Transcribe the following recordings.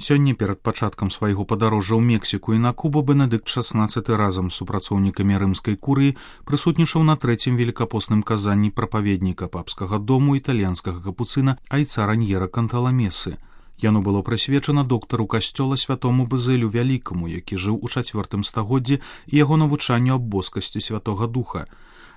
Сёння перад пачаткам свайго падарожжа ў Мексіку і на Кубу Бенедыкт XVI разам з супрацоўнікамі рымскай курыі прысутнічаў на трэцім велікапостным казанні прапаведніка папскага дому італьянскага капуцына айца Раньера Канталамесы. Яно было прысвечана доктару касцёла святому Базылю Вялікаму, які жыў у IV стагоддзі, і яго навучанню аб боскасці Святога Духа.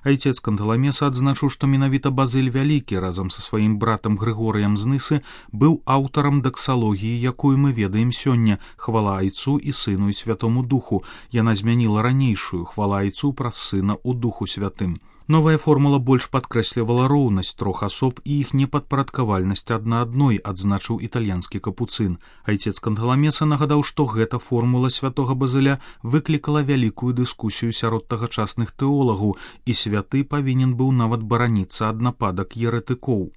Айцец Канталамеса адзначыў, што менавіта Базыль Вялікі разам са сваім братам Грыгорыем з Нысы быў аўтарам даксалогіі, якую мы ведаем сёння, хвала айцу і сыну і Святому Духу. Яна змяніла ранейшую, хвала айцу праз сына ў Духу Святым. Новая формула больш падкрэслівала роўнасць трох асоб і іх непадпарадкавальнасць адна адной, адзначыў італьянскі капуцын. Айцец Канталамеса нагадаў, што гэта формула святога Базыля выклікала вялікую дыскусію сярод тагачасных тэолагаў, і святы павінен быў нават бараніцца ад нападак еретыкоў.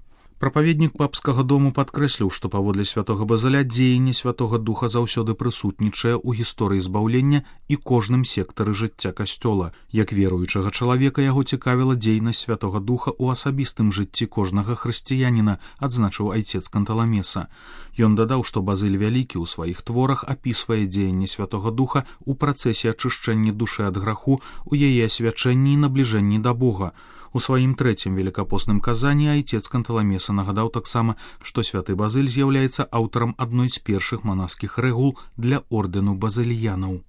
Прапаведнік папскага дому падкрэсліў, што паводле святога Базыля дзеянне Святога Духа заўсёды прысутнічае ў гісторыі збаўлення і кожным сектары жыцця касцёла. Як веруючага чалавека яго цікавіла дзейнасць Святога Духа ў асабістым жыцці кожнага хрысціяніна, адзначыў айцец Канталамеса. Ён дадаў, што Базыль Вялікі ў сваіх творах апісвае дзеянне Святога Духа ў працэсе ачышчэння душы ад граху, у яе асвячэнні і набліжэнні да Бога. У сваім трэцім велікапостным казанні айцец Канталамеса нагадаў таксама, што святы Базыль з'яўляецца аўтарам адной з першых манаскіх рэгул для ордэну базыльянаў.